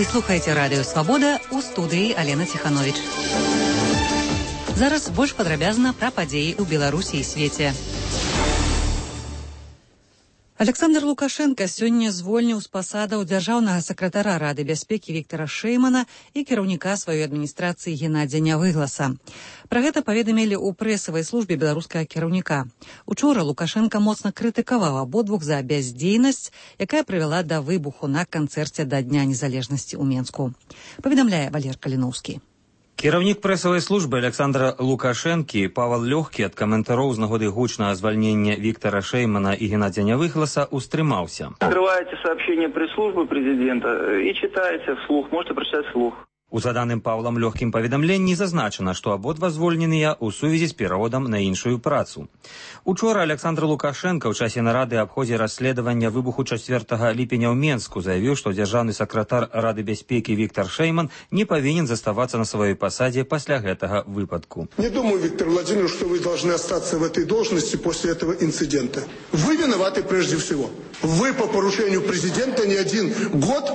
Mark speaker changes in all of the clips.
Speaker 1: Вы слухаеце радыё «Свабода», у студыі Алена Ціхановіч. Зараз больш падрабязна пра падзеі ў Беларусі і свеце. Александр Лукашенко сёння звольніў з пасадаў дзяржаўнага сакратара Рады бяспекі Віктара Шэймана і кіраўніка сваёй адміністрацыі Геннадзя Нявыгласа. Пра гэта паведамілі ў прэсавай службе беларускага кіраўніка. Учора Лукашенко моцна крытыкаваў абодвух за бяздзейнасць, якая прывяла да выбуху на канцэрце да Дня незалежнасці ў Менску. Паведамляе Валер Каліноўскі.
Speaker 2: Кіраўнік прэсавай службы Александра Лукашэнкі Павел Лёгкі ад каментароў з нагоды гучнага звальнення Виктора Шеймана и Геннадия Нявыгласа устрымаўся.
Speaker 3: Открываете сообщение пресс-службы президента и читаете вслух, можете прочитать вслух.
Speaker 2: У заданым Павлам Лёгкім паведамленні зазначана, што абодва звольненыя ў сувязі з пераводам на іншую працу. Учора Александр Лукашенко ў часе нарады аб ходзе расследавання выбуху 4 ліпеня ў Менску заявіў, што дзяржаўны сакратар Рады бяспекі Виктор Шейман не павінен заставацца на сваёй пасадзе пасля гэтага выпадку.
Speaker 4: Не думаю, Виктор Владимирович, что вы должны остаться в этой должности после этого инцидента. Вы виноваты прежде всего. Вы по поручению президента не один год,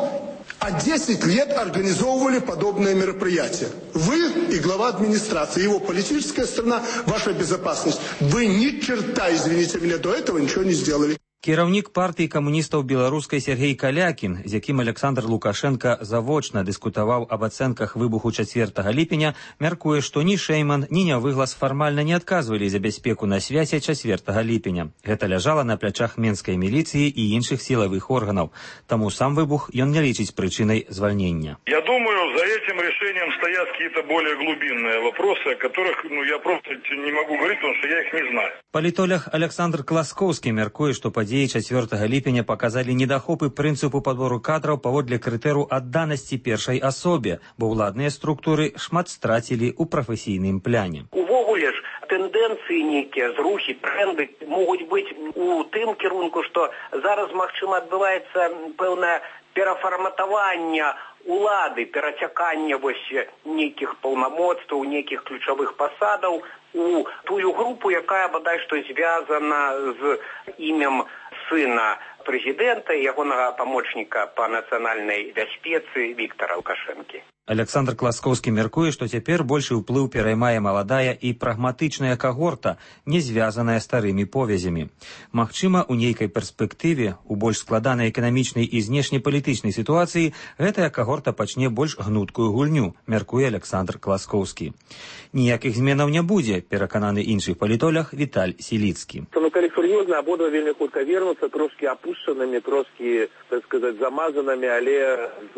Speaker 4: а 10 лет организовывали подобное мероприятие. Вы и глава администрации, его политическая сторона, ваша безопасность. Вы ни черта, извините меня, до этого ничего не сделали.
Speaker 2: Кіраўнік партыі камуністаў беларускай Сергей Калякін, з якім Александр Лукашенко завочна дыскутаваў аб ацэнках выбуху 4 ліпеня, мяркуе, што ні Шейман, ні Нявыглас фармальна не адказвалі за бяспеку на свяце 4 ліпеня. Гэта ляжала на плячах менскай міліцыі і іншых сілавых органаў. Таму сам выбух ён не лічыць прычынай звальнення.
Speaker 5: Я думаю, за этим решением стоят какие-то более глубинные вопросы, о которых я просто не могу говорить, потому что я их не знаю.
Speaker 2: Палітолог Александр Класкоўскі мяркуе, што падзеі 4 ліпеня показалі недахопы прынцыпу падбору кадраў паводле крытэру адданасці першай асобе, бо ўладныя структуры шмат страцілі ў прафесійным пляне.
Speaker 6: Увогуле ж тэндэнцыі нейкія, зрухі, тренды могуць быць у тым кірунку, што зараз, магчыма, адбываецца пэўнае перафарматаванне улады, перацяканне нейкіх паўнамоцтваў, нейкіх ключавых пасадаў у тую групу, якая бадай што звязана з імем сына президента и ягонага памочніка по нацыянальнай бяспецы Віктара Лукашэнкі.
Speaker 2: Александр Класкоўскі мяркуе, што цяпер большы ўплыў пераймае маладая і прагматычная кагорта, не звязаная старымі повязямі. Магчыма, у нейкай перспектыве, у больш складанай эканамічнай і знешнепалітычнай сітуацыі, гэтая кагорта пачне больш гнуткую гульню, мяркуе Александр Класкоўскі. Ніякіх зменаў не будзе, перакананы іншы палітолог Віталь Сіліцкі.
Speaker 7: Калі сур'ёзна, абодва вельмі хутка вернуцца, трошкі апушчанымі, трошкі, так сказаць, замазанымі, але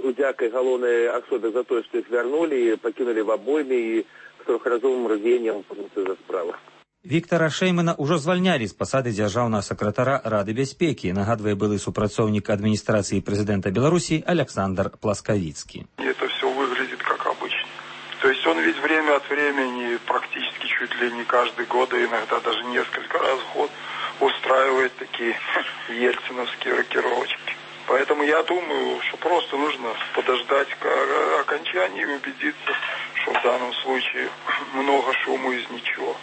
Speaker 7: удзякай галоўнай асобе за тое, што іх вярнулі, пакінулі в абойме і з трохразовым рвеннем за справу.
Speaker 2: Віктара Шеймана ўжо звальнялі з пасады дзяржаўнага сакратара Рады бяспекі, нагадвае былы супрацоўнік адміністрацыі прэзідэнта Беларусі Александр Пласкавіцкі.
Speaker 5: Это все выглядит как обычно. То есть он ведь время от времени, практически чуть ли не каждый год, и иногда даже несколько раз в год устраивает такие ельциновские рокировочки. Поэтому я думаю, что просто нужно подождать окончания и убедиться, что в данном случае много шуму из ничего.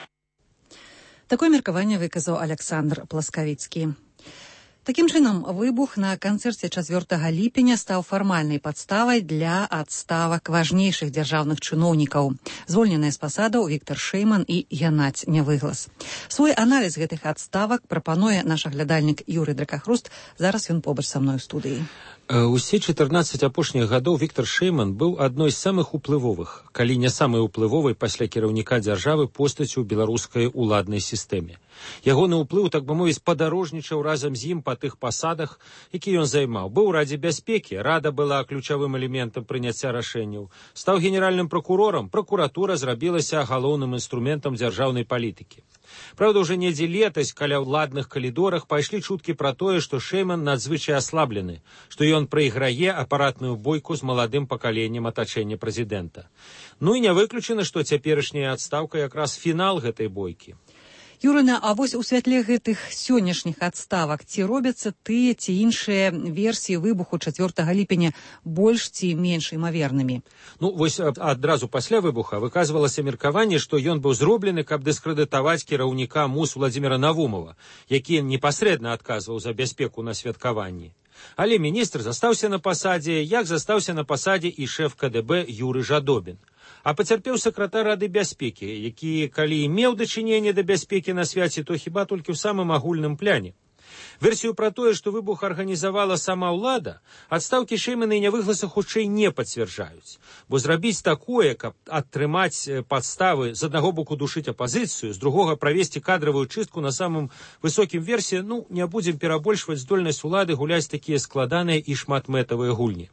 Speaker 1: Такое меркаванне выказаў Александр Пласкавіцкі. Такім чынам, выбух на канцэрце 4 ліпеня стаў фармальнай падставай для адставак важнейшых дзяржаўных чыноўнікаў. Звольненыя з пасадаў Віктар Шэйман і Геннадзь Нявыглас. Свой аналіз гэтых адставак прапануе наш аглядальнік Юрый Дракахруст. Зараз ён побач са мной у студыі.
Speaker 8: Усе 14 апошніх гадоў Віктар Шэйман быў адной з самых уплывовых, калі не самай уплывовай пасля кіраўніка дзяржавы постаццю ў беларускай уладнай сістэме. Ягоны ўплыў, так бы мовіць, падарожнічаў разам з ім па тых пасадах, які ён займаў. Быў у Радзе бяспекі, Рада была ключавым элементам прыняцця рашэнняў. Стаў генеральным пракурорам, пракуратура зрабілася галоўным інструментам дзяржаўнай палітыкі. Правда, уже недзе летась каля ўладных калідорах пайшлі чуткі пра тое, што Шэйман надзвычай аслаблены, што ён прайграе апаратную бойку з маладым пакаленнем атачэння прэзідэнта. Ну і не выключана, што цяперашняя адстаўка якраз фінал гэтай бойкі.
Speaker 1: Юрына, а вось у святле гэтых сённяшніх адставак ці робяцца тыя ці іншыя версіі выбуху 4 ліпеня больш ці менш імавернымі?
Speaker 8: Ну, вось адразу пасля выбуха выказвалася меркаванне, што ён быў зроблены, каб дыскрэдытаваць кіраўніка МУС Владзіміра Навумова, які непасрэдна адказваў за бяспеку на святкаванні. Але міністр застаўся на пасадзе, як застаўся на пасадзе і шэф КДБ Юры Жадобін. А пацярпеў сакратар Рады бяспекі, які, калі і меў дачыненне да бяспекі на свяце, то хіба толькі ў самым агульным пляне. Версію пра тое, што выбух арганізавала сама ўлада, адстаўкі Шэймана і Нявыгласа хутчэй не пацвярджаюць. Бо зрабіць такое, каб атрымаць падставы, з аднаго боку душыць апазіцыю, з другога правесці кадравую чыстку на самым высокім версе, не будзем перабольшваць здольнасць улады гуляць такія складаныя і шматмэтавыя гульні.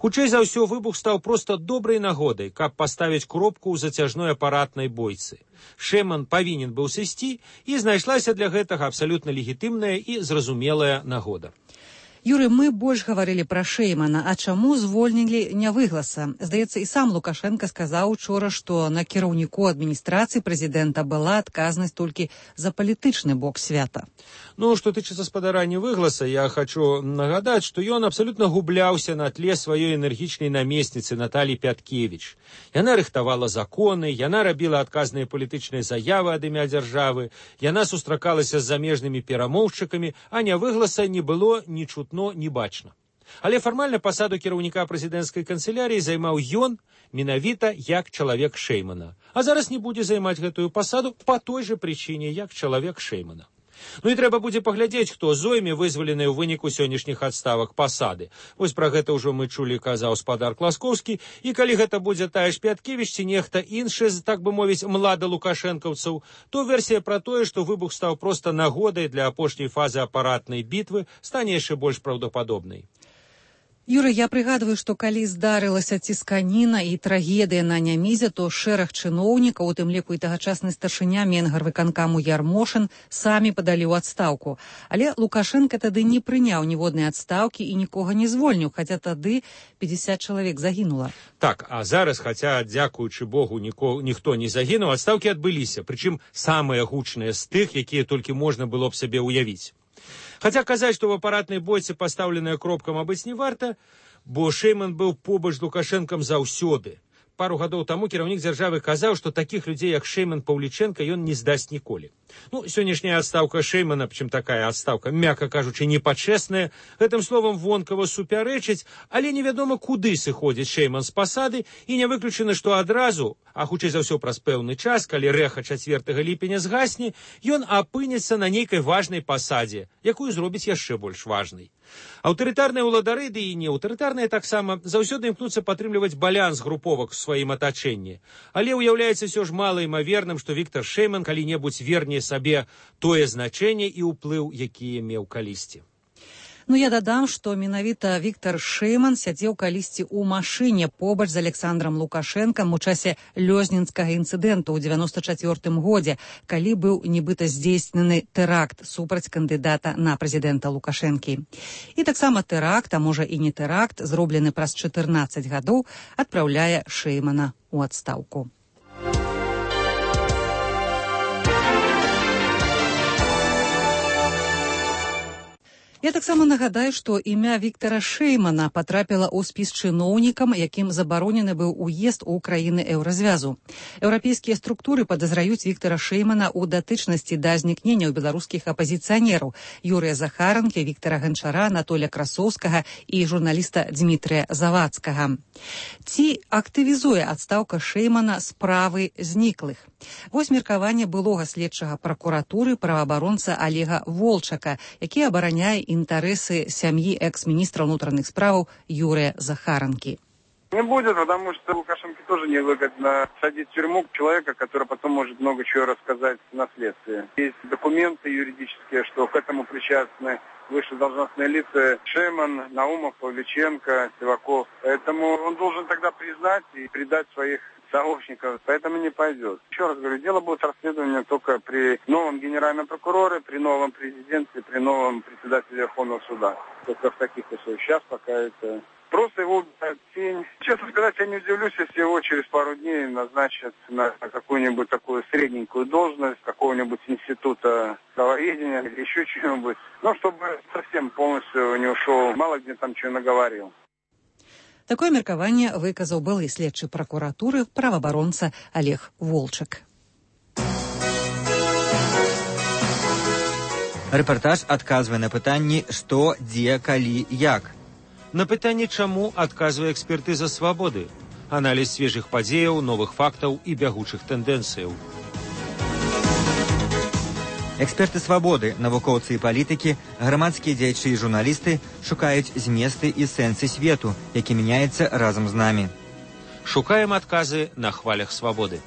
Speaker 8: Хутчэй за ўсё, выбух стаў проста добрай нагодай, каб паставіць кропку ў зацяжной апаратнай бойцы. Шэйман павінен быў сысці, і знайшлася для гэтага абсалютна легітымная і зразумелая нагода.
Speaker 1: Юрый, мы больш гаварылі пра Шэймана, а чаму звольнілі Нявыгласа? Здаецца, і сам Лукашенко сказаў учора, што на кіраўніку адміністрацыі прэзідэнта была адказнасць толькі за палітычны бок свята.
Speaker 8: Што тычыцца спадара Нявыгласа, я хочу нагадаць, што ён абсалютна губляўся на тле сваёй энергічнай намесніцы Наталі Пяткевіч. Яна рыхтавала законы, яна рабіла адказныя палітычныя заявы ад імя дзяржавы, яна сустракалася з замежнымі перамоўшчыкамі, а Нявыгласа не было ні чутно, ні бачна. Але фармальна пасаду кіраўніка прэзідэнцкай канцылярыі займаў ён менавіта як чалавек Шэймана. А зараз не будзе займаць гэтую пасаду па той жа прычыне, як чалавек Шэймана. І трэба будзе паглядзець, хто зойме вызваленыя ў выніку сённяшніх адставак пасады. Вось пра гэта ўжо мы чулі, казаў спадар Класкоўскі, і калі гэта будзе тая ж Пяткевіч ці нехта іншы, так бы мовіць, млада лукашэнкаўцаў, то версія пра тое, што выбух стаў проста нагодай для апошняй фазы апаратнай бітвы, стане яшчэ больш праўдападобнай.
Speaker 1: Юрый, я прыгадваю, што калі здарылася цісканіна і трагедыя на Нямізе, то шэраг чыноўнікаў, у тым ліку і тагачасны старшыня Менгарвыканкаму Ярмошын, самі падалі ў адстаўку. Але Лукашенко тады не прыняў ніводнай адстаўкі і нікога не звольніў, хаця тады 50 чалавек загінула.
Speaker 8: Так, а зараз, хаця, дзякуючы Богу, ніхто не загінуў, адстаўкі адбыліся, прычым самыя гучныя з тых, якія толькі можна было б сабе ўявіць. Хаця казаць, што в апаратнай бойцы пастаўленая кропка, мабыць, не варта, бо Шэйман быў побач з Лукашэнкам заўсёды. Пару гадоў таму кіраўнік дзяржавы казаў, што такіх людзей, як Шэйман, Паўлічэнка, ён не здасць ніколі. Сённяшняя адстаўка Шэймана, прычым такая адстаўка, мякка кажучы, непачэсная, гэтым словам вонкава супярэчыць, але невядома, куды сыходзіць Шэйман з пасады, і не выключана, што адразу, а хутчэй за ўсё праз пэўны час, калі рэха 4 ліпеня згасне, ён апынецца на нейкай важнай пасадзе, якую зробіць яшчэ больш важнай. Аўтарытарныя ўладары, ды і неаўтарытарныя таксама, заўсёды імкнуцца падтрымліваць баланс груповак у сваім атачэнні. Але ўяўляецца ўсё ж малаімаверным, што Віктар Шэйман калі-небудзь верне сабе тое значэнне і ўплыў, які меў калісьці.
Speaker 1: Я дадам, што менавіта Віктар Шэйман сядзеў калісьці ў машыне побач з Александрам Лукашэнкам у часе лёзнінскага інцыдэнту ў 94 годзе, калі быў нібыта здзейснены тэракт супраць кандыдата на прэзідэнта Лукашэнкі. І таксама тэракт, а можа і не тэракт, зроблены праз 14 гадоў, адпраўляе Шэймана ў адстаўку. Я таксама нагадаю, што імя Віктара Шэймана патрапіла ў спіс чыноўнікам, якім забаронены быў уезд у краіны еўразвязу. Еўрапейскія структуры падазраюць Віктара Шэймана ў датычнасці да знікнення ў беларускіх апазіцыянераў Юрыя Захаранкі, Віктара Ганчара, Анатоля Красоўскага і журналіста Дмітрыя Завадскага. Ці актывізуе адстаўка Шэймана справы зніклых? Вось меркаванне былога следчага пракуратуры праваабаронца Олега Волчака, які абараняе интересы семьи экс-министра внутренних справ Юрия Захаранки.
Speaker 5: Не будет, потому что Лукашенко тоже невыгодно садить в тюрьму человека, который потом может много чего рассказать на следствии. Есть документы юридические, что к этому причастны высшие должностные лица Шэйман, Наумов, Павличенко, Сиваков. Поэтому он должен тогда признать и предать своих сообщников, поэтому не пойдет. Еще раз говорю, дело будет расследование только при новом генеральном прокуроре, при новом президенте, при новом председателе Верховного суда. Только в таких условиях. Сейчас пока это просто его убирают в тень. Честно сказать, я не удивлюсь, если его через пару дней назначат на какую-нибудь такую средненькую должность какого-нибудь института правоведения или еще чего-нибудь. Чтобы совсем полностью не ушел, мало где там чего наговорил.
Speaker 1: Такое меркаванне выказаў былы следчы пракуратуры праваабаронца Олег Волчак.
Speaker 9: Рэпартаж адказвае на пытанні «Што, дзе, калі, як?».
Speaker 8: На пытанне «Чаму?» адказвае экспертыза «Свабоды». Аналіз свежых падзеяў, новых фактаў і бягучых тэндэнцыяў.
Speaker 9: Эксперты «Свабоды», навукоўцы і палітыкі, грамадскія дзеячы і журналісты шукаюць зместы і сэнсы свету, які мяняецца разам з намі.
Speaker 8: Шукаем адказы на хвалях свабоды.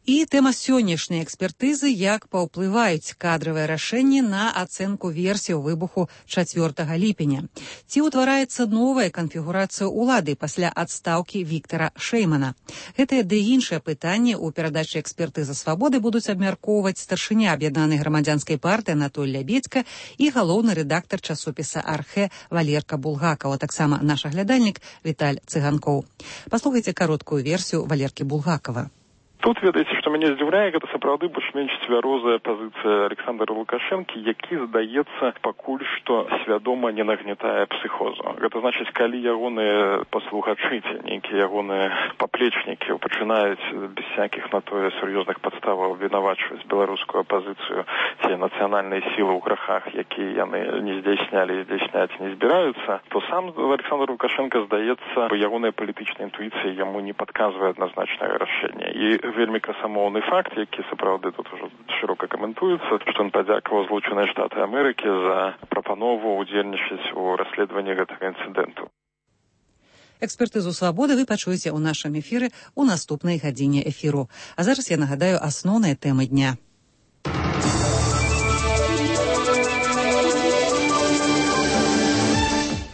Speaker 1: І тэма сённяшняй экспертызы, як паўплываюць кадравыя рашэнні на ацэнку версіяў выбуху 4 ліпеня. Ці ўтвараецца новая канфігурацыя ўлады пасля адстаўкі Віктара Шэймана. Гэтыя ды іншыя пытанні ў перадачы экспертызы «Свабоды» будуць абмяркоўваць старшыня аб'яднанай грамадзянскай партыі Анатоль Лябедзька і галоўны рэдактар часопіса «Архэ» Валерка Булгакаў, а таксама наш аглядальнік Віталь Цыганкоў. Паслухайце кароткую версію Валеркі Булгакава.
Speaker 5: Тут, ведаеце, што мяне здзіўляе, гэта сапраўды больш-менш цвярозая пазіцыя Александра Лукашэнкі, які, здаецца, пакуль што свядома не нагнятае псіхозу. Гэта значыць, калі ягоныя паслухачы, нейкія ягоныя паплечнікі пачынаюць без всякіх на тое сур'ёзных падставаў абвінавачваць беларускую апазіцыю ці нацыянальныя сілы ў грахах, якія яны не здзейснялі і здзейсняць не збіраюцца, то сам Александр Лукашенко, здаецца, ягоная палітычная інтуіцыя яму не падказвае адназначнае рашэнне. І вельмі красамоўны факт, які сапраўды тут ужо шырока каментуецца, што ён падзякаваў Злучаныя Штаты Амерыкі за прапанову ўдзельнічаць у расследаванні гэтага інцыдэнту.
Speaker 1: Экспертызу «Свабоды» вы пачуеце ў нашым эфіры ў наступнай гадзіне эфіру. А зараз я нагадаю асноўныя тэмы дня.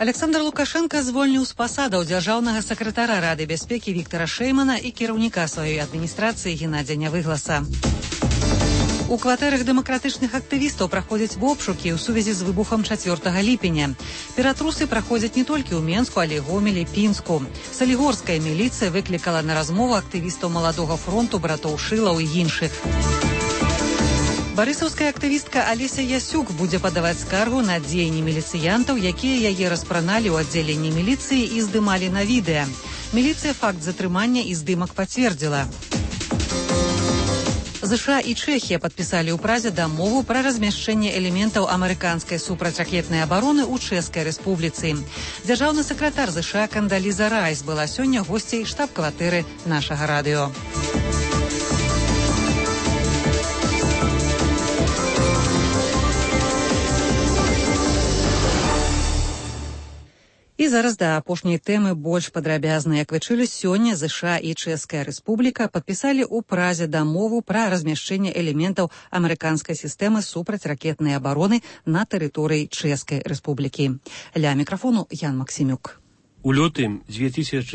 Speaker 1: Александр Лукашенко звольніў з пасадаў дзяржаўнага сакратара Рады бяспекі Віктара Шэймана і кіраўніка сваёй адміністрацыі Геннадзя Нявыгласа. У кватэрах дэмакратычных актывістаў праходзяць обшукі ў сувязі з выбухам 4 ліпеня. Ператрусы праходзяць не толькі ў Менску, але і Гомелі, Пінску. Салігорская міліцыя выклікала на размову актывістаў Маладога фронту, братоў Шылаў і іншых. Барысаўская актывістка Алеся Ясюк будзе падаваць скаргу на дзеянні міліцыянтаў, якія яе распраналі ў аддзяленні міліцыі і здымалі на відэа. Міліцыя факт затрымання і здымак пацвердзіла. ЗША і Чэхія падпісалі ў Празе дамову пра размяшчэнне элементаў амерыканскай супрацьракетнай абароны ў Чэшскай рэспубліцы. Дзяржаўны сакратар ЗША Кандаліза Райс была сёння госцей штаб-кватэры нашага радыё. І зараз да апошняй тэмы больш падрабязна. Як вы чулі, сёння ЗША і Чэшская рэспубліка падпісалі ў Празе дамову пра размяшчэнне элементаў амерыканскай сістэмы супрацьракетнай абароны на тэрыторыі Чэшскай рэспублікі. Ля мікрафону Ян Максімюк.
Speaker 10: У лютым 2007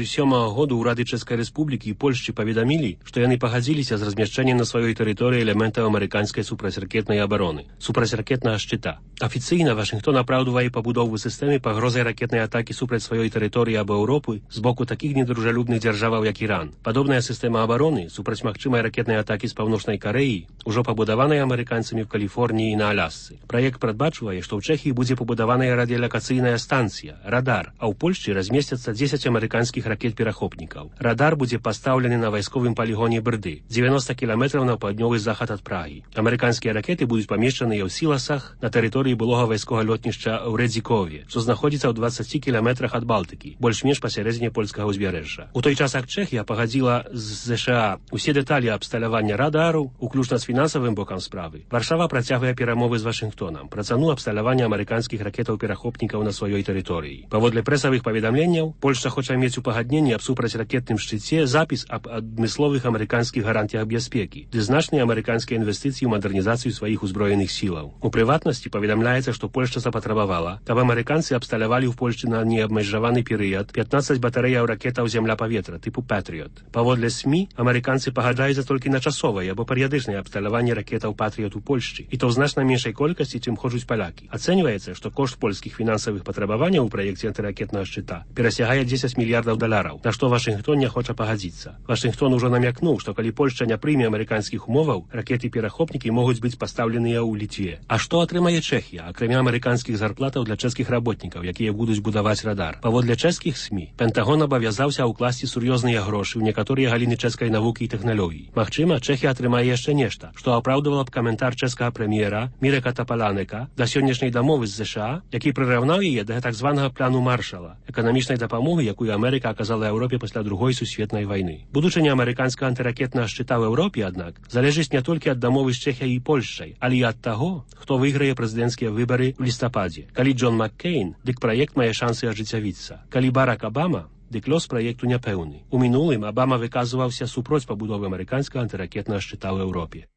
Speaker 10: года ўрады Чэшскай рэспублікі і Польшчы паведамілі, што яны пагадзіліся з размяшчэннем на сваёй тэрыторыі элементаў амерыканскай супрацьракетнай абароны, супрацьракетнага шчыта. Афіцыйна Вашынгтон апраўдвае пабудову сістэмы пагрозай ракетнай атакі супраць сваёй тэрыторыі або Еўропы з боку такіх недружалюбных дзяржаваў, як Іран. Падобная сістэма абароны супраць магчымай ракетнай атакі з Паўночнай Карэі ужо пабудаваная амерыканцамі ў Каліфорніі і на Алясцы. Праект прадбачвае, што ў Чэхіі будзе пабудаваная радыёлакацыйная станцыя, радар, а ў Польшчы размесцяцца 10 амерыканскіх ракет-перахопнікаў. Радар будзе пастаўлены на вайсковым палігоне Брды, 90 кіламетраў на паўднёвы захад ад Прагі. Амерыканскія ракеты будуць памешчаныя ў Сіласах на тэрыторыі былога вайсковага лётнішча ў Рэдзікове, што знаходзіцца ў 20 кіламетрах ад Балтыкі, больш-менш пасярэдзіне польскага ўзбярэжжа. У той час, як Чэхія пагадзіла з ЗША усе дэталі абсталявання радару, уключна з фінансавым бокам справы, Варшава працягвае перамовы з Вашынгтонам пра цану абсталявання амерыканскіх ракетаў-перахопнікаў на сваёй тэрыторыі. Паводле прэсавых паведамленняў, Польшча хоча мець у пагадненні аб супрацьракетным шчыце запіс аб адмысловых амерыканскіх гарантыях бяспекі ды значныя амерыканскія інвестыцыі ў мадэрнізацыю сваіх узброеных сілаў. У прыватнасці паведамляецца, што Польшча запатрабавала, каб амерыканцы абсталявалі ў Польшчы на неабмежаваны перыяд 15 батарэяў ракетаў зямля-паветра тыпу Patriot. Паводле СМІ, амерыканцы пагаджаюцца толькі на часовае або перыядычнае абсталяванне ракетаў Patriot у Польшчы, і то ў значна меншай колькасці, чым хочуць палякі. Ацэньваецца, што кошт польскіх фінансавых патрабаванняў у праекце антыракетнага шчыта перасягае 10 мільярдаў даляраў, на што Вашынгтон не хоча пагадзіцца. Вашынгтон ужо намякнуў, што калі Польшча не прыме амерыканскіх умоваў, ракеты-перахопнікі могуць быць пастаўленыя ў Літве. А што атрымае Чэхія, акрамя амерыканскіх зарплатаў для чэшскіх работнікаў, якія будуць будаваць радар? Паводле чэшскіх СМІ, Пентагон абавязаўся ўкласці сур'ёзныя грошы ў некаторыя галіны чэшскай навукі і тэхналогій. Магчыма, Чэхія атрымае яшчэ нешта, што апраўдывала б каментар чэшскага прэм'ера Мірека Тапаланека да сённяшняй дамовы з ЗША, які прыраўнаў яе да так званага плану Маршала, эканамічнай дапамогі, якую Амерыка аказала Еўропе пасля другой сусветнай вайны. Будучыня амерыканскага антыракетнага шчыта ў Еўропе, аднак, залежыць не толькі ад дамовы з Чэхіяй і Польшчай, але і ад таго, хто выйграе прэзідэнцкія выбары ў лістападзе. Калі Джон Маккейн, дык праект мае шансы ажыццявіцца. Калі Барак Абама, дык лёс праекту няпэўны. У мінулым Абама выказваўся супроць пабудовы амерыканскага антыракетнага шчыта ў Еўропе.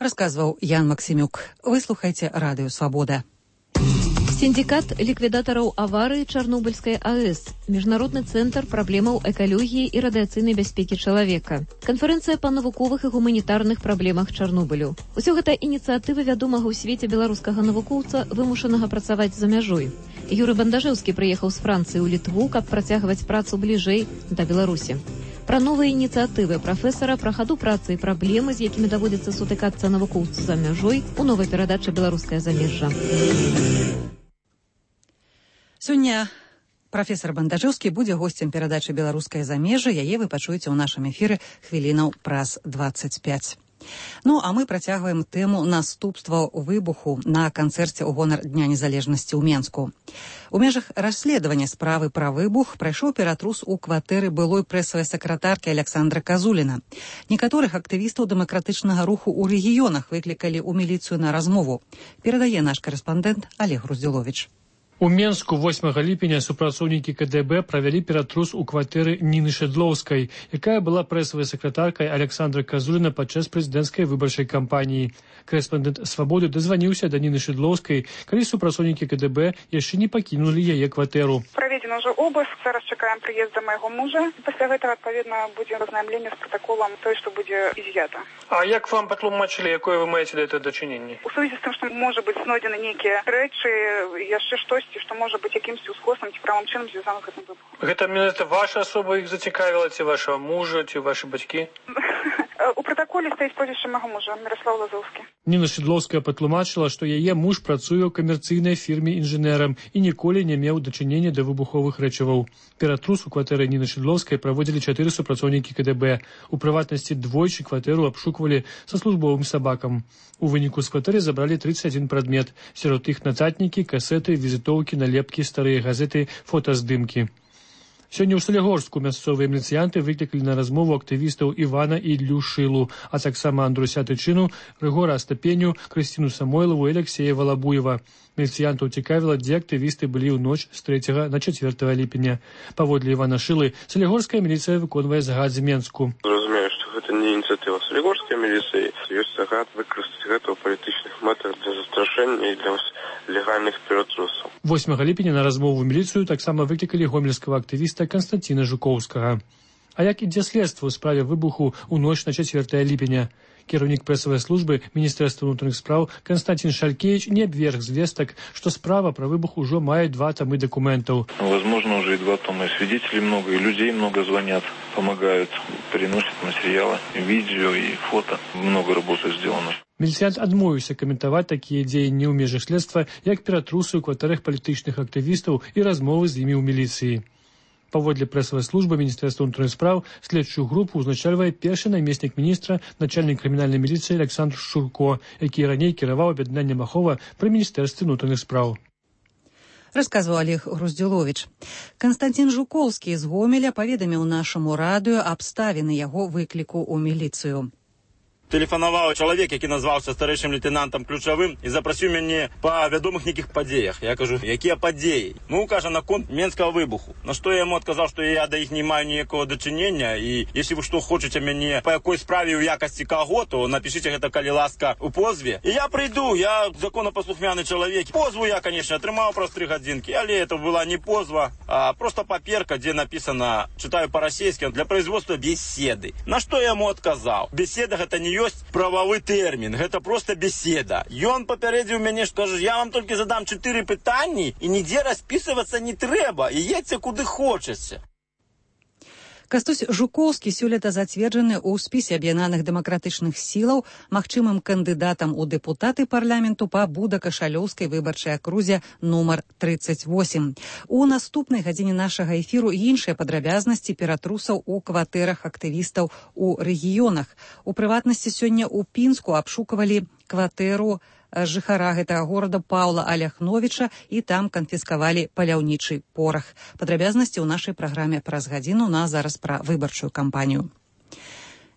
Speaker 1: Расказваў Ян Максімюк. Вы слухаеце Радыё Свабода.
Speaker 11: Синдикат ликвидаторов аварии Чернобыльской АЭС, Международный центр проблемаў экологии и радиационной бяспеки человека, конференция по навуковых и гуманитарных проблемах Чернобылю. Усё гэта инициативы вядомага ў свеце беларускага навукоўца, вымушанага працаваць за мяжой. Юрый Бандажэўскі прыехаў з Францыі ў Літву, каб працягваць працу бліжэй да Беларусі. Пра новыя ініцыятывы прафесара, пра хаду працы і праблемы, з якімі даводзіцца сутыкацца навукоўцу за мяжой, у новай перадачы «Беларускае замежжа».
Speaker 1: Сёння прафесар Бандажэўскі будзе госцем перадачы «Беларускае замежжа». Яе вы пачуеце ў нашым эфіры хвілінаў праз 25. Ну, а мы працягваем тэму наступстваў выбуху на канцэрце ў гонар Дня незалежнасці ў Менску. У межах расследавання справы пра выбух прайшоў ператрус у кватэры былой прэсавай сакратаркі Александра Казуліна. Некаторых актывістаў дэмакратычнага руху ў рэгіёнах выклікалі ў міліцыю на размову. Перадае наш карэспандэнт Олег Груздзіловіч.
Speaker 12: У Менску 8 ліпеня супрацоўнікі КДБ правялі ператрус у кватэры Ніны Шэдлоўскай, якая была прэсавай сакратаркай Александра Казуліна падчас прэзідэнцкай выбарчай кампаніі. Карэспандэнт «Свабоды» дазваніўся да Ніны Шэдлоўскай, калі супрацоўнікі КДБ яшчэ не пакінулі яе кватэру.
Speaker 13: Праведзены ўжо обыск, зараз чакаем прыезда майго мужа. Пасля гэтага, адпаведна, будзе азнаймленне з пратаколам той, што будзе изъято.
Speaker 12: А як вам патлумачылі, якое вы маеце да этого дачыненне?
Speaker 13: У сувязі з тым, што можа быць знойдзены нейкія рэчы, яшчэ штосьці, што можа быць якімсьці ускосам ці правым чынам звязана з гэтым выбухам.
Speaker 12: Гэта менавіта ваша асоба іх зацікавіла, ці вашага мужа, ці вашы бацькі?
Speaker 13: У пратаколе стаіць прозвішча майго мужа, Міраслаў Лазоўскі.
Speaker 12: Ніна Шэдлоўская патлумачыла, што яе муж працуе ў камерцыйнай фірме інжынерам і ніколі не меў дачынення да выбуховых рэчываў. Ператрус у кватэры Ніны Шэдлоўскай праводзілі 4 супрацоўнікі КДБ. У прыватнасці двойчы кватэру абшуквалі са службовым сабакам. У выніку з кватэры забралі 31 прадмет. Сярод іх нацатнікі, касеты, візітоўкі, налепкі, старыя газеты, фотаздымкі. Сёння ў Салігорску мясцовыя міліцыянты выклікалі на размову актывістаў Івана і Іллю Шылу, а таксама Андруся Тычыну, Рыгора Астапеню, Крысціну Самойлаву і Алексея Валабуева. Міліцыянтаў цікавіла, дзе актывісты былі ў ноч з 3 на 4 ліпеня. Паводле Івана Шылы, салігорская міліцыя выконвае загад з Менску.
Speaker 14: Разумею, што гэта не ініцыятыва салігорскай міліцыі. Ёсць загад выкарыстаць гэта ў палітычных мэтах для застрашэння і для легальных ператрусаў.
Speaker 12: 8 ліпеня на размову ў міліцыю таксама выклікалі гомельскага актывіста Канстанціна Жукоўскага. А як ідзе следства ў справе выбуху ў ноч на 4 ліпеня? Кіраўнік прэсавай службы Міністэрства ўнутраных спраў Константин Шалькевич не абверг звестак, што справа пра выбух ужо мае 2 томы документаў.
Speaker 15: Возможно, уже и 2 тома. Свидетелей много, и людей много звонят, помогают, приносят материалы, видео и фото. Много работы сделано.
Speaker 12: Міліцыянт адмовіўся каментаваць такія дзеянні ў межах следства, як ператрусы ў кватэрах палітычных актывістаў і размовы з імі ў міліцыі. Паводле прэсавай службы Міністэрства ўнутраных спраў следчую групу ўзначальвае першы намеснік міністра, начальнік крымінальнай міліцыі Александр Шурко, які раней кіраваў аб'яднаннем Ахова пры Міністэрстве ўнутраных спраў.
Speaker 1: Расказваў Олег Груздзіловіч. Канстантин Жукоўскі з Гомеля паведаміў нашаму радыё абставіны яго выкліку ў міліцыю.
Speaker 16: Тэлефанаваў чалавек, які назваўся старэйшым лейтенантам ключавым і запрасіў мяне па вядомых нейкіх падзеях. Я кажу, якія падзеі? Ну, кажа, наконт менскага выбуху. На што я яму адказаў, што я да іх не маю ніякага дачынення, і если вы што хочаце мяне па якой справе ў якасці каго, то напішыце гэта, калі ласка, у позве. І я прыйду, я законапаслухмяны чалавек. Позву я, конечно, атрымаў праз 3 гадзінкі, але это была не позва, а просто паперка, дзе напісана, чытаю па-расейскі, для производства беседы. На што я яму адказаў? Беседа гэта не ёсць прававы тэрмін, гэта проста беседа. Ён папярэдзіў мяне, што кажа, я вам толькі задам 4 пытанні і нідзе распісвацца не трэба, і едзьце куды хочаце.
Speaker 1: Кастусь Жукоўскі сёлета зацверджаны ў спісе аб'яднаных дэмакратычных сілаў магчымым кандыдатам у дэпутаты парламенту па Буда-Кашалёўскай выбарчай акрузе нумар 38. У наступнай гадзіне нашага эфіру іншыя падрабязнасці ператрусаў у кватэрах актывістаў у рэгіёнах. У прыватнасці сёння ў Пінску абшукавалі кватэру жыхара гэтага горада Паўла Аляхновіча і там канфіскавалі паляўнічы порах. Падрабязнасці ў нашай праграме праз гадзіну, на зараз пра выбарчую кампанію.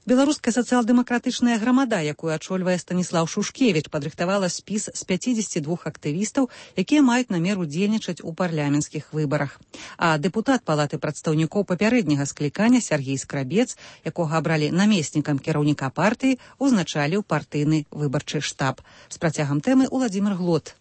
Speaker 1: Беларуская сацыял-дэмакратычная грамада, якую ачольвае Станіслаў Шушкевіч, падрыхтавала спіс з 52 актывістаў, якія маюць намер удзельнічаць у парламенцкіх выбарах. А дэпутат Палаты прадстаўнікоў папярэдняга склікання Сяргей Скрабец, якога абралі намеснікам кіраўніка партыі, узначаліў партыйны выбарчы штаб. З працягам тэмы Уладзімир Глот.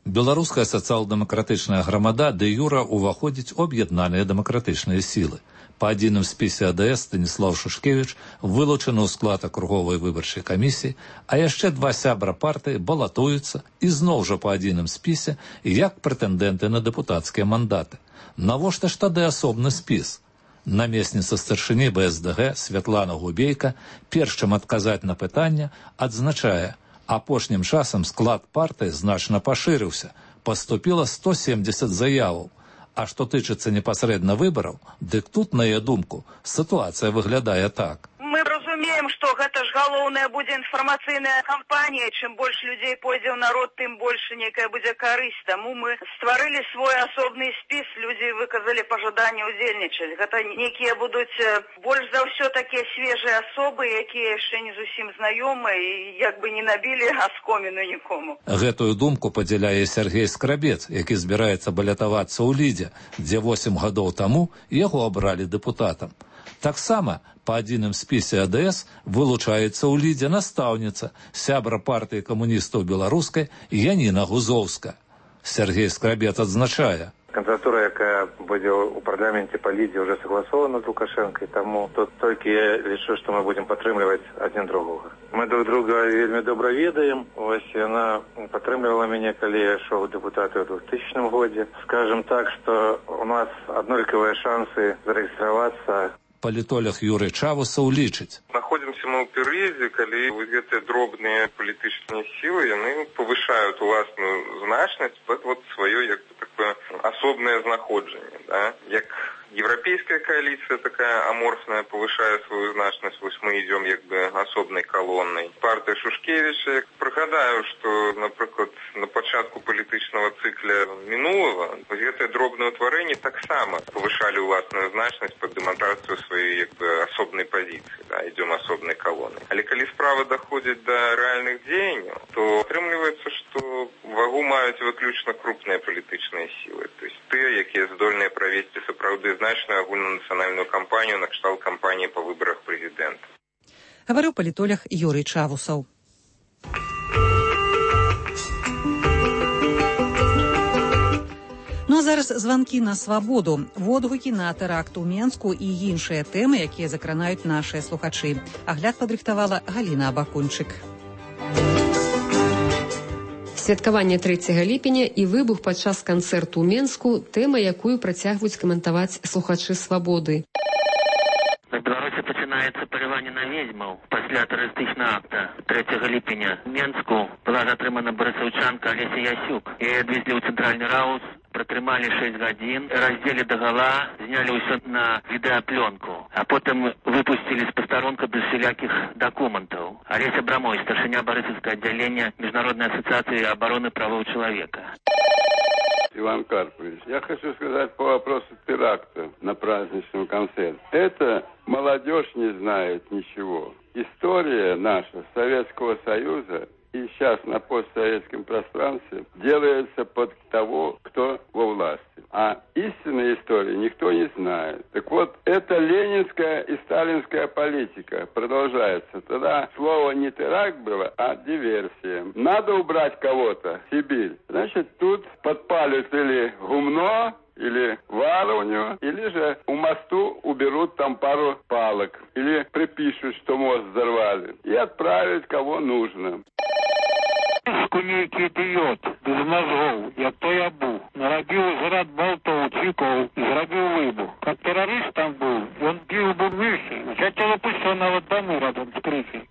Speaker 17: Беларуская сацыял-дэмакратычная грамада дэ-юра ўваходзіць у аб'яднаныя дэмакратычныя сілы. По адзіным спісе АДС Станіслаў Шушкевіч вылучаны ў склад акруговай выбарчай камісіі, а яшчэ два сябра партыі балатуюцца і зноў жа по адзіным спісе як прэтэндэнты на дэпутацкія мандаты. Навошта ж тады асобны спіс? Намесніца старшыні БСДГ Святлана Губейка, перш чым адказаць на пытанне, адзначае, апошнім часам склад партыі значна пашырыўся, паступіла 170 заяваў. А што тычыцца непасрэдна выбараў, дык тут, на яе думку, сітуацыя выглядае так.
Speaker 18: Мы разумеем, што гэта ж галоўная будзе інфармацыйная кампанія. Чым больш людзей пойдзе ў народ, тым больш нейкая будзе карысць. Таму мы стварылі свой асобны спіс, людзі выказалі пажаданне ўдзельнічаць. Гэта нейкія будуць больш за ўсё такія свежыя асобы, якія яшчэ не зусім знаёмыя і як бы не набілі аскоміну нікому.
Speaker 17: Гэтую думку падзяляе Сяргей Скрабец, які збіраецца балятавацца ў Лідзе, дзе 8 гадоў таму яго абралі дэпутатам. Таксама па адзіным спісе АДС вылучаецца ў Лідзе настаўніца, сябра партыі камуністаў беларускай Яніна Гузоўска. Сяргей Скрабец адзначае.
Speaker 19: Кандидатура, якая будзе ў парламенце па Лідзе, уже согласована з Лукашэнкай, таму тут толькі я лічу, што мы будзем падтрымліваць адзін другога. Мы друг друга вельмі добра ведаем. Вось яна падтрымлівала мяне, калі я ішоў у дэпутаты ў 2000 годзе. Скажем так, што у нас аднолькавыя шансы зарэгістравацца.
Speaker 17: Палітолог Юрый Чавусаў лічыць.
Speaker 20: Находимся мы ў перыядзе, калі гэтыя дробныя палітычныя сілы, яны павышаюць уласную значнасць пад сваё як такое асобнае знаходжанне, да? Як европейская коалиция такая аморфная повышает свою значность, вот мы идем как бы особной колонной. Партия Шушкевича, пригадаю, что, например, на початку політичного цикля минулого, вот это дробное утворение так само повышали властную значность под демонстрацию своей как бы особной позиции, да, идем особной колонной. Але коли справа доходит до реальных деяний, то отримливается, что вагу мають виключно крупные політичные силы. То есть те, які здольні провести сапраўды значную агульнанациональную кампанию на кшталт кампании по выборах президента.
Speaker 1: Говорил политолог Юрий Чавусаў. Ну а зараз званкі на свабоду, водгукі на тэракт у Менску і іншыя тэмы, якія закранаюць нашыя слухачы. Агляд падрыхтавала Галіна Абакунчык.
Speaker 21: Святкаванне 3 ліпеня і выбух падчас канцэрту ў Менску, тэма, якую працягваюць каментаваць слухачы свабоды.
Speaker 22: На Беларусі пачынаецца паляванне на ведзьмаў пасля тэрарыстычнага акта 3 ліпеня. В Менску была затрымана барысаўчанка Алеся Ясюк. Яе адвезлі ў цэнтральны раус, пратрымалі 6 гадзін, раздзелі дагала, знялі ўсё на відэаплёнку, а потым выпусцілі з пастарунка без всялякіх дакументаў. Олеся Брамой, старшыня Барысаўскага аддзялення Международной ассоциации обороны правов человека.
Speaker 23: Иван Карпович, я хочу сказать по вопросу теракта на праздничном концерте. Это молодежь не знает ничего. История наша Советского Союза и сейчас на постсоветском пространстве делается под того, кто во власти. А истинной истории никто не знает. Так вот, это ленинская и сталинская политика продолжается. Тогда слово не теракт было, а диверсия. Надо убрать кого-то в Сибирь. Значит, тут подпалят или гумно, или варовню, или же у мосту уберут там пару палок. Или припишут, что мост взорвали. И отправят кого нужно.
Speaker 22: Скумейки бьет.
Speaker 3: без мозгов, як той Абу. Нарабіў зарад болтов, цвікоў, зрабіў выбух. Как террорист там был, он бил бы выше. Хотел опустить нават домы рядом с крышей.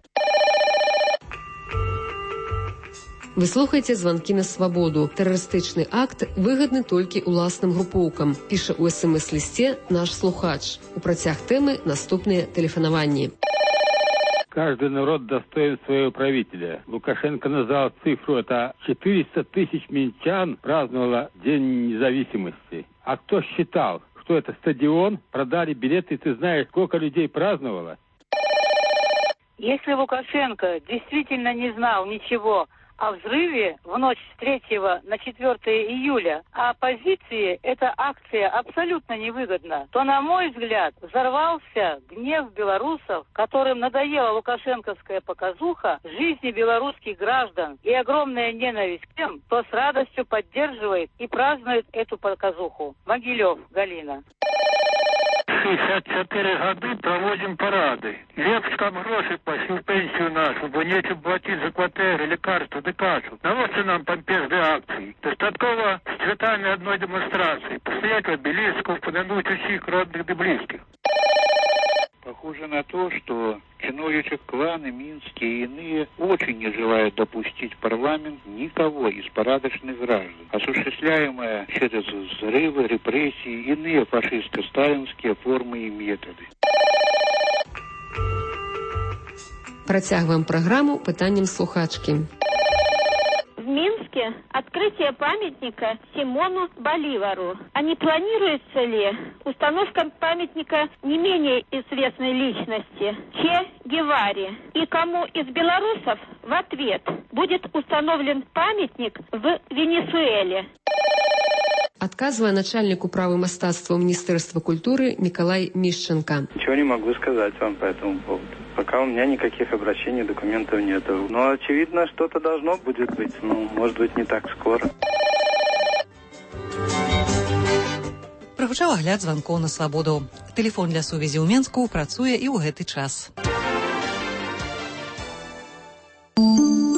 Speaker 21: Вы слухаеце званкі на свабоду. Тэрарыстычны акт выгадны толькі уласным групоўкам, піша ў СМС-лісце наш слухач. У працяг тэмы наступныя тэлефанаванні.
Speaker 3: Каждый народ достоин своего правителя. Лукашенко назвал цифру, это 400 тысяч минчан праздновало День независимости. А кто считал, что это стадион, продали билеты, ты знаешь, сколько людей праздновало?
Speaker 4: Если Лукашенко действительно не знал ничего о взрыве в ночь с 3 на 4 июля, а оппозиции эта акция абсолютно невыгодна, то, на мой взгляд, взорвался гнев белорусов, которым надоела лукашенковская показуха жизни белорусских граждан и огромная ненависть к тем, кто с радостью поддерживает и празднует эту показуху. Могилев, Галина.
Speaker 3: 64 годы проводим парады. Лепш там гроши пошли в пенсию нашу, бо нечем платить за квартиры, лекарства, декашу. Наводьте нам помпезные акции. Достатково с цветами одной демонстрации. Постоять в обелисков, помянуть усих родных и близких. Похоже на то, что чиновничьи кланы, минские и иные очень не желают допустить в парламент никого из порядочных граждан. Осуществляемые через взрывы, репрессии, иные фашистско-сталинские формы и методы.
Speaker 21: Працягваем праграму пытаннем слухачкі.
Speaker 6: В Минске открытие памятника Симону Боливару. А не планируется ли установка памятника не менее известной личности Че Геваре? И кому из белорусов в ответ будет установлен памятник в Венесуэле?
Speaker 21: Отказывая начальнику права мастацтва Министерства культуры Николай Мищенко.
Speaker 24: Ничего не могу сказать вам по этому поводу. Пока у меня никаких обращений, документов нету. Но очевидно, что-то должно будет быть. Ну, может быть, не так скоро.
Speaker 1: Прагучаў агляд званкоў на свабоду. Тэлефон для сувязі ў Менску працуе і ў гэты час.